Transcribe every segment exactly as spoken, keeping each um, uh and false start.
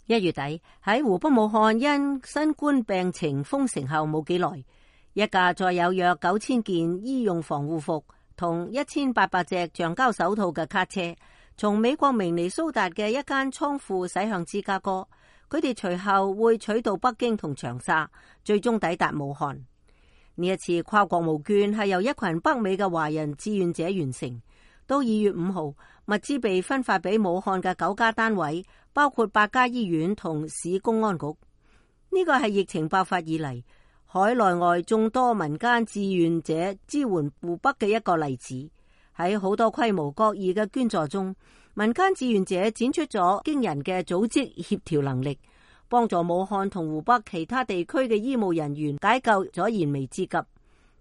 一月底喺湖北武漢因新冠病情封城後冇幾耐，一架載有約九千件醫用防護服同一千八百隻橡膠手套嘅卡車，從美國明尼蘇達嘅一間倉庫駛向芝加哥。佢哋隨後會取道北京同長沙，最終抵達武漢。呢一次跨國募捐係由一群北美嘅華人志願者完成。到二月五號，物資被分發俾武漢嘅九家單位，包括八家醫院同市公安局。呢個係疫情爆發以嚟海內外眾多民間志願者支援湖北嘅一個例子。喺好多規模各異嘅捐助中，民間志願者展出咗驚人嘅組織協調能力，幫助武漢同湖北其他地區嘅醫務人員解救咗燃眉之急。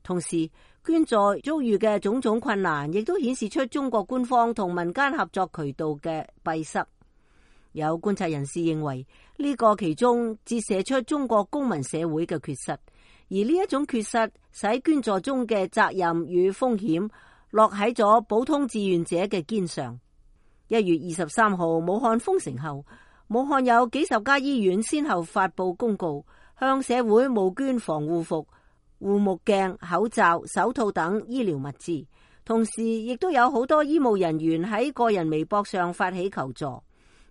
同時，捐助遭遇嘅種種困難，亦都顯示出中國官方同民間合作渠道嘅閉塞。有觀察人士認為，呢個其中折射出中國公民社會嘅缺失，而呢一種缺失使捐助中嘅責任與風險落喺咗普通志願者嘅肩上。一月二十三號，武漢封城後，武漢有幾十家醫院先後發佈公告，向社會募捐防護服、護目鏡、口罩、手套等醫療物資。同時，亦都有好多醫務人員喺個人微博上發起求助。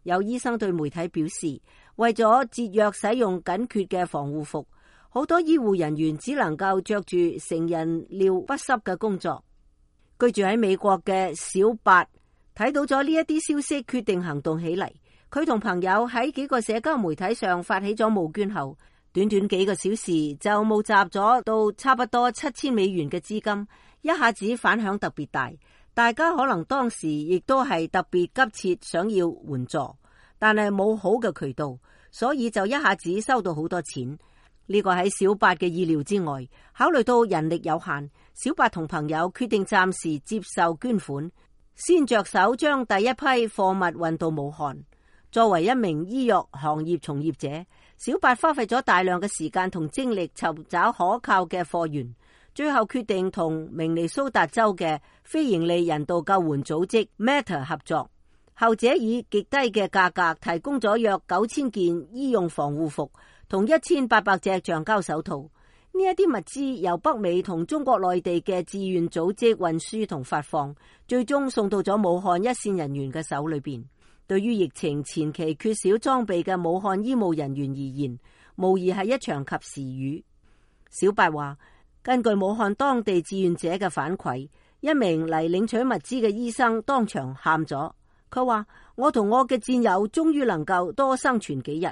有醫生對媒體表示，為咗節約使用緊缺嘅防護服，好多醫護人員只能夠着住成人尿不濕嘅工作。居住喺美國嘅小八睇到咗呢一啲消息，決定行動起嚟。佢同朋友喺幾個社交媒體上發起咗募捐後，短短幾個小時就募集咗到差不多七千美元嘅資金，一下子反響特別大。大家可能當時亦都係特別急切想要援助，但係冇好嘅渠道，所以就一下子收到好多錢。呢個喺小八嘅意料之外。考慮到人力有限，小八同朋友決定暫時接受捐款，先着手將第一批貨物運到武漢。作為一名醫藥行業從業者，小八花費咗大量嘅時間同精力尋找可靠嘅貨源，最後決定同明尼蘇達州嘅非營利人道救援組織 Matter 合作。後者以極低嘅價格提供咗約九千件醫用防護服同一千八百隻橡膠手套。呢一啲物資由北美同中國內地嘅志願組織運輸同發放，最終送到咗武漢一線人員嘅手裏邊。對於疫情前期缺少裝備嘅武漢醫務人員而言，無疑係一場及時雨。小八話，根據武漢當地志願者嘅反饋，一名嚟領取物資嘅醫生當場喊咗。佢話：我同我嘅戰友終於能夠多生存幾日。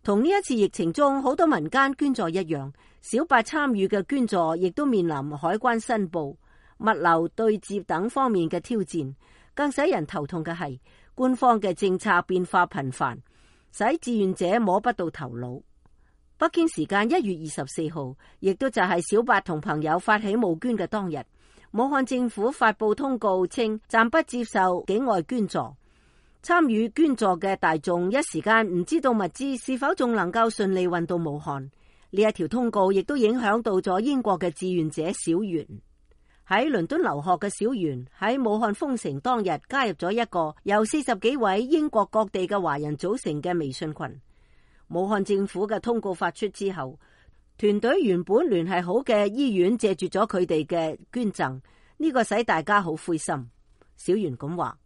同呢一次疫情中好多民間捐助一樣，小八參與嘅捐助亦都面臨海關申報、物流對接等方面嘅挑戰。更使人頭痛嘅係，官方嘅政策變化頻繁，使志願者摸不到頭腦。北京時間一月二十四號，亦都就係小八同朋友發起募捐嘅當日，武漢政府發布通告稱暫不接受境外捐助。參與捐助嘅大眾一時間唔知道物資是否仲能夠順利運到武漢。呢一條通告亦都影響到咗英國嘅志願者小袁。喺倫敦留學嘅小袁喺武漢封城當日加入咗一個由四十幾位英國各地嘅華人組成嘅微信群。武漢政府嘅通告發出之後，團隊原本聯繫好嘅醫院借住咗佢哋嘅捐贈，呢個使大家好灰心。小袁咁話，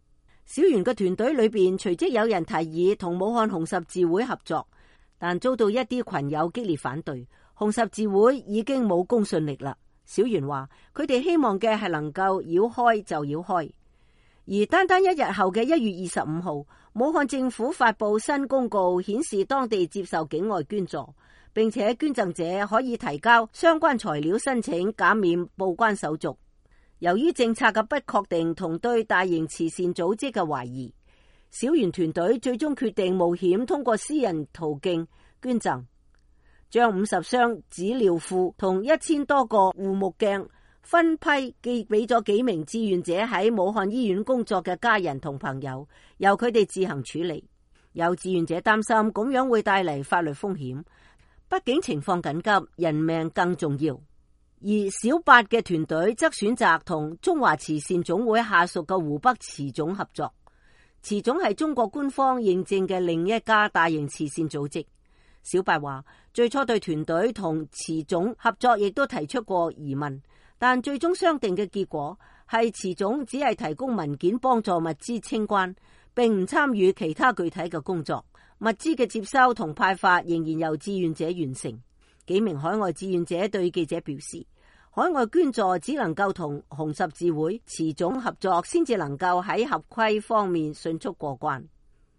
小袁嘅團隊裏邊隨即有人提議同武漢紅十字會合作，但遭到一啲群友激烈反對。紅十字會已經冇公信力啦。小袁話佢哋希望嘅係能夠繞開就繞開。而單單一日後嘅一月二十五號，武漢政府發布新公告，顯示當地接受境外捐助，並且捐贈者可以提交相關材料申請減免報關手續。由於政策嘅不確定同對大型慈善組織嘅懷疑，小袁團隊最終決定冒險通過私人途徑捐贈，將五十箱紙尿褲同一千多個護目鏡分批寄俾咗幾名志願者喺武漢醫院工作嘅家人同朋友，由佢哋自行處理。有志願者擔心咁樣會帶嚟法律風險，畢竟情況緊急，人命更重要。而小八嘅團隊則選擇同中華慈善總會下屬嘅湖北慈總合作。慈總係中國官方認證嘅另一家大型慈善組織。小白話，最初對團隊同慈總合作亦都提出過疑問，但最終商定嘅結果係慈總只係提供文件幫助物資清關，並唔參與其他具體嘅工作。物資嘅接收同派發仍然由志願者完成。幾名海外志願者對記者表示，海外捐助只能夠同紅十字會、慈總合作，先至能夠喺合規方面迅速過關。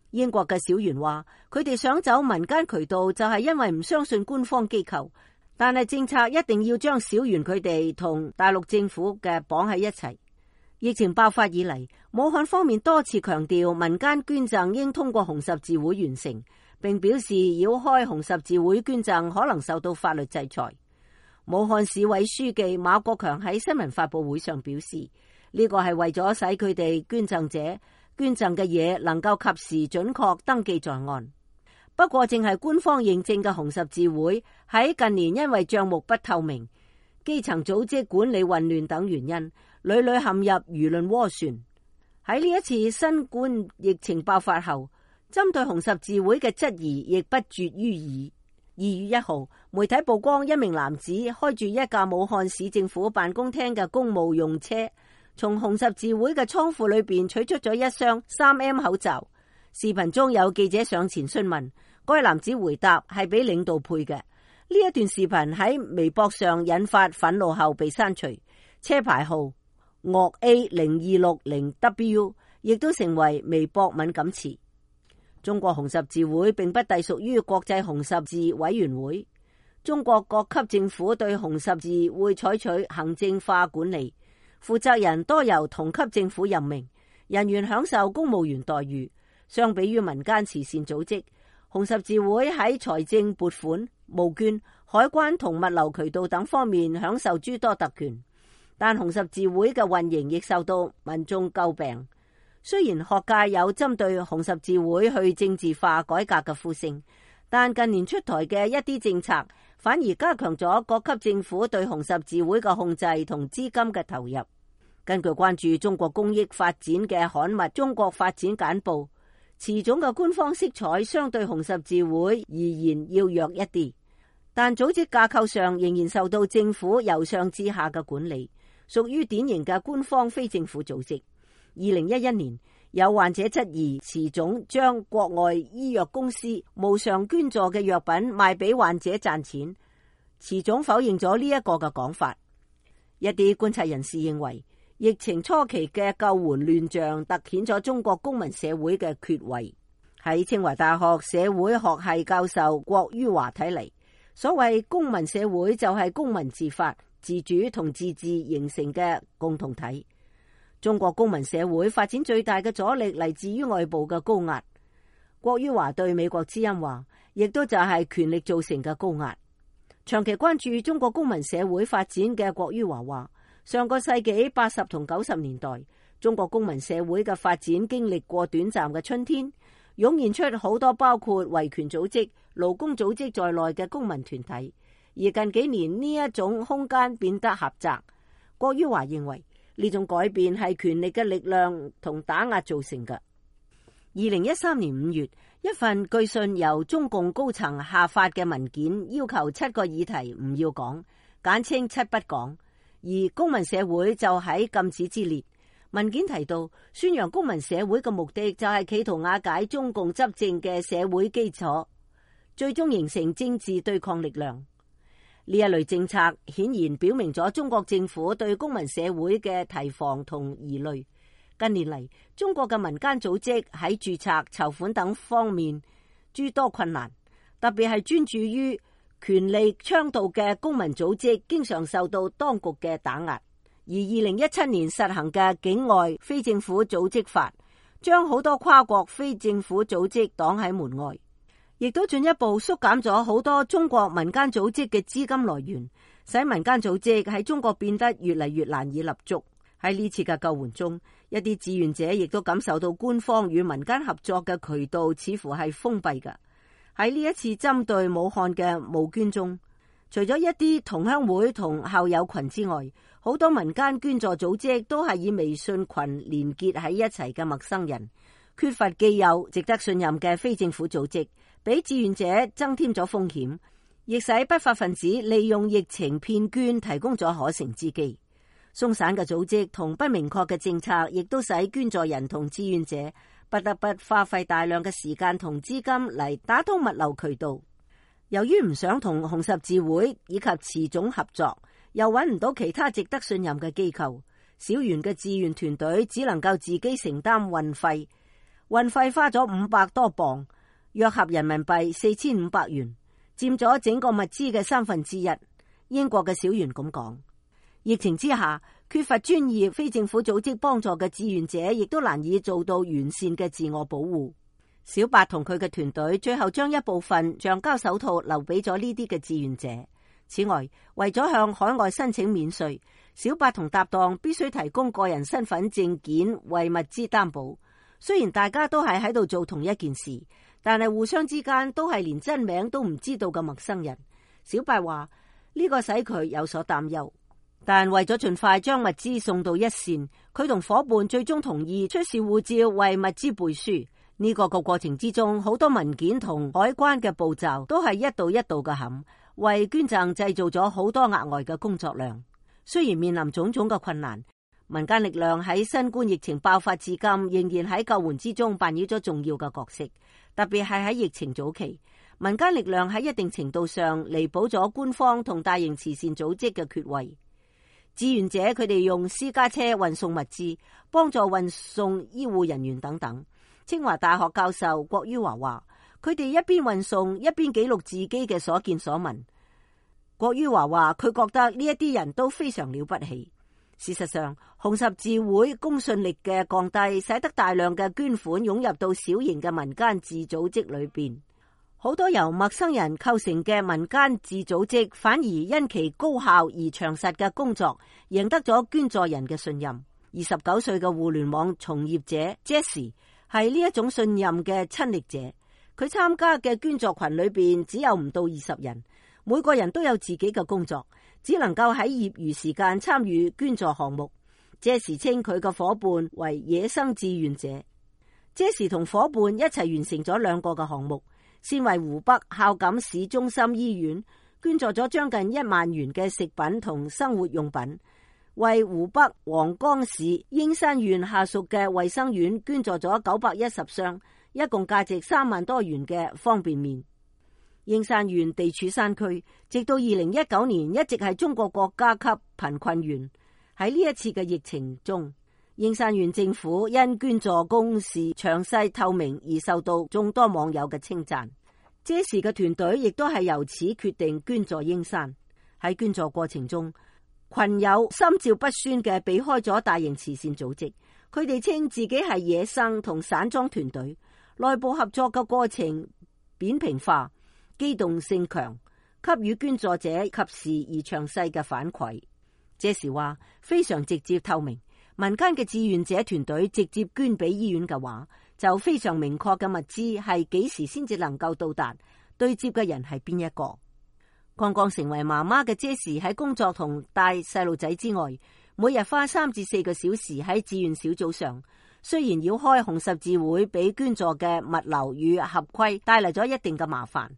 英國嘅小袁話，佢哋想走民間渠道就係因為唔相信官方機構，但係政策一定要將小袁佢哋同大陸政府嘅綁喺一齊。疫情爆發以嚟，武漢方面多次強調民間捐贈應通過紅十字會完成，並表示繞開紅十字會捐贈可能受到法律制裁。武漢市委書記馬國強喺新聞發佈會上表示，呢個係為咗使佢哋捐贈者捐贈嘅嘢能夠及時準確登記在案。不過，正係官方認證嘅紅十字會喺近年因為賬目不透明、基層組織管理混亂等原因，屢屢陷入輿論渦旋。喺呢一次新冠疫情爆發後，針對紅十字會嘅質疑亦不絕於耳。二月一號，媒體曝光一名男子開住一架武漢市政府辦公廳嘅公務用車，從紅十字會嘅倉庫裏邊取出咗一箱 三 M 口罩。視頻中有記者上前詢問，該男子回答係俾領導配嘅。呢一段視頻喺微博上引發憤怒後被刪除，車牌號岳 A 零二六零 W 亦都成為微博敏感詞。中國紅十字會並不隸屬於國際紅十字委員會，中國各級政府對紅十字會採取行政化管理，負責人多由同級政府任命，人員享受公務員待遇。相比於民間慈善組織，紅十字會喺財政撥款、募捐、海關同物流渠道等方面享受諸多特權，但紅十字會嘅運營亦受到民眾詬病。雖然學界有針對紅十字會去政治化改革嘅呼聲，但近年出台嘅一啲政策反而加強咗各級政府對紅十字會嘅控制同資金嘅投入。根據關注中國公益發展嘅刊物《中國發展簡報》，慈總嘅官方色彩相對紅十字會而言要弱一啲，但組織架構上仍然受到政府由上至下嘅管理，屬於典型嘅官方非政府組織。二零一一年，有患者質疑慈總將國外醫藥公司無償捐助嘅藥品賣俾患者賺錢，慈總否認咗呢一個嘅講法。一啲觀察人士認為，疫情初期嘅救援亂象突顯咗中國公民社會嘅缺位。喺清華大學社會學系教授郭于華睇嚟，所謂公民社會就係公民自發、自主同自治形成嘅共同體。中國公民社會發展最大嘅阻力嚟自於外部嘅高壓。郭于華對美國之音話，亦都就係權力造成嘅高壓。長期關注中國公民社會發展嘅郭于華話，上個世紀八十同九十年代，中國公民社會嘅發展經歷過短暫嘅春天，湧現出好多包括維權組織、勞工組織在內嘅公民團體。而近幾年呢一種空間變得狹窄。郭于華認為，呢種改變係權力嘅力量同打壓造成嘅。二零一三年五月，一份據信由中共高層下發嘅文件，要求七個議題唔要講，簡稱七不講，而公民社會就喺禁止之列。文件提到，宣揚公民社會嘅目的就係企圖瓦解中共執政嘅社會基礎，最終形成政治對抗力量。呢一類政策顯然表明咗中國政府對公民社會嘅提防同疑慮。近年嚟，中國嘅民間組織喺註冊、籌款等方面諸多困難，特別係專注於權力倡導嘅公民組織，經常受到當局嘅打壓。而二零一七年實行嘅境外非政府組織法，將好多跨國非政府組織擋喺門外，亦都進一步縮減咗好多中國民間組織嘅資金來源，使民間組織喺中國變得越嚟越難以立足。喺呢次嘅救援中，一啲志願者亦都感受到官方與民間合作嘅渠道似乎係封閉嘅。喺呢一次針對武漢嘅募捐中，除咗一啲同鄉會同校友群之外，好多民間捐助組織都係以微信群連結喺一齊嘅陌生人，缺乏既有值得信任嘅非政府組織，俾志願者增添咗風險，亦使不法分子利用疫情騙捐提供咗可乘之機。鬆散嘅組織同不明確嘅政策，亦都使捐助人同志願者不得不花費大量嘅時間同資金嚟打通物流渠道。由於唔想同紅十字會以及慈總合作，又揾唔到其他值得信任嘅機構，小圓嘅志願團隊只能夠自己承擔運費，運費花咗五百多磅，約合人民幣四千五百元，佔咗整個物資嘅三分之一。英國嘅小圓咁講。疫情之下，缺乏專業非政府組織幫助嘅志願者，亦都難以做到完善嘅自我保護。小白同佢嘅團隊最後將一部分橡膠手套留俾咗呢啲嘅志願者。此外，為咗向海外申請免稅，小白同搭檔必須提供個人身份證件為物資擔保。雖然大家都係喺度做同一件事，但係互相之間都係連真名都唔知道嘅陌生人。小白話呢個使佢有所擔憂。但為咗盡快將物資送到一線，佢同伙伴最終同意出示護照為物資背書。呢、這個個過程之中，好多文件同海關嘅步驟都係一道一道嘅冚，為捐贈製造咗好多額外嘅工作量。雖然面臨種種嘅困難，民間力量喺新冠疫情爆發至今，仍然喺救援之中扮演咗重要嘅角色。特別係喺疫情早期，民間力量喺一定程度上彌補咗官方同大型慈善組織嘅缺位。志願者佢哋用私家車運送物資，幫助運送醫護人員等等。清華大學教授郭于華話，佢哋一邊運送一邊記錄自己嘅所見所聞。郭于華話，佢覺得呢一啲人都非常了不起。事實上，紅十字會公信力嘅降低，使得大量嘅捐款湧入到小型嘅民間自組織裏邊。好多由陌生人構成嘅民間自組織，反而因其高效而詳實嘅工作，贏得咗捐助人嘅信任。二十九歲嘅互聯網從業者 Jessie 係呢一種信任嘅親歷者。佢參加嘅捐助群裏邊只有唔到二十人，每個人都有自己嘅工作，只能夠喺業餘時間參與捐助項目。Jessie 稱佢嘅伙伴為野生志願者。Jessie 同伙伴一齊完成咗兩個嘅項目。先為湖北孝感市中心醫院捐助咗將近一萬元嘅食品同生活用品，為湖北黃岡市英山縣下屬嘅衛生院捐助咗九百一十箱，一共價值三萬多元嘅方便麵。英山縣地處山區，直到二零一九年一直係中國國家級貧困縣。喺呢一次嘅疫情中，英山縣政府因捐助公示詳細透明而受到眾多網友嘅稱讚。這時嘅團隊亦都係由此決定捐助英山。喺捐助過程中，群友心照不宣嘅避開咗大型慈善組織，佢哋稱自己係野生同散裝團隊，內部合作嘅過程扁平化，機動性強，給予捐助者及時而詳細嘅反饋。這時話非常直接透明。民間嘅志願者團隊直接捐俾醫院嘅話，就非常明確嘅物資係幾時先至能夠到達，對接嘅人係邊一個。剛剛成為媽媽嘅 Jessie 喺工作同帶細路仔之外，每日花三至四個小時喺志願小組上。雖然繞開紅十字會俾捐助嘅物流與合規帶嚟咗一定嘅麻煩，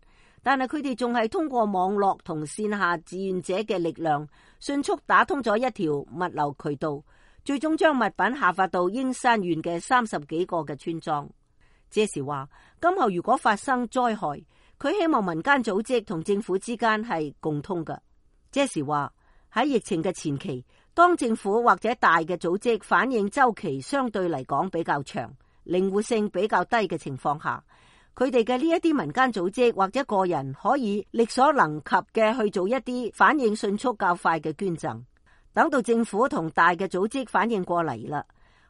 但係佢哋仲係通過網絡同線下志願者嘅力量，迅速打通咗一條物流渠道。最終將物品下發到英山縣嘅三十幾個嘅村莊。這時話，今後如果發生災害，佢希望民間組織同政府之間係共通嘅。這時話，喺疫情嘅前期，當政府或者大嘅組織反應周期相對嚟講比較長、靈活性比較低嘅情況下，佢哋嘅呢一啲民間組織或者個人可以力所能及嘅去做一啲反應迅速較快嘅捐贈。等到政府同大嘅組織反應過嚟啦，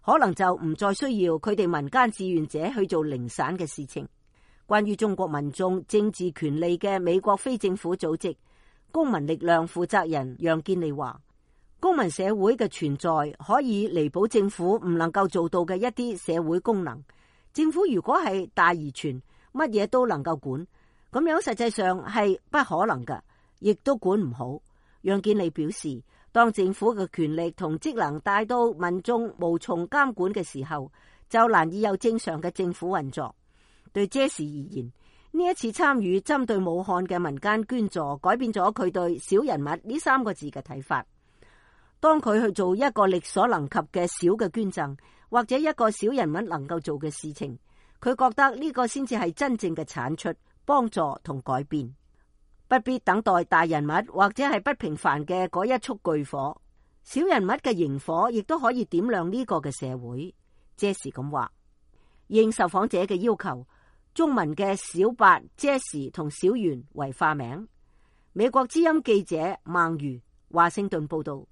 可能就唔再需要佢哋民間志願者去做零散嘅事情。關於中國民眾政治權利嘅美國非政府組織公民力量負責人楊建利話，公民社會嘅存在可以彌補政府唔能夠做到嘅一啲社會功能。政府如果係大而全，乜嘢都能夠管，咁樣實際上係不可能嘅，亦都管唔好。楊建利表示，當政府嘅權力同職能大到民眾無從監管嘅時候，就難以有正常嘅政府運作。對傑士而言，呢一次參與針對武漢嘅民間捐助，改變咗佢對小人物呢三個字嘅睇法。當佢去做一個力所能及嘅小嘅捐贈，或者一個小人物能夠做嘅事情，佢覺得呢個先至係真正嘅產出、幫助同改變，不必等待大人物或者係不平凡嘅嗰一束巨火。小人物嘅螢火亦都可以點亮呢個嘅社會。傑士咁話，應受訪者嘅要求，中文嘅小白、傑士同小圓為化名。美國之音記者孟如華盛頓報道。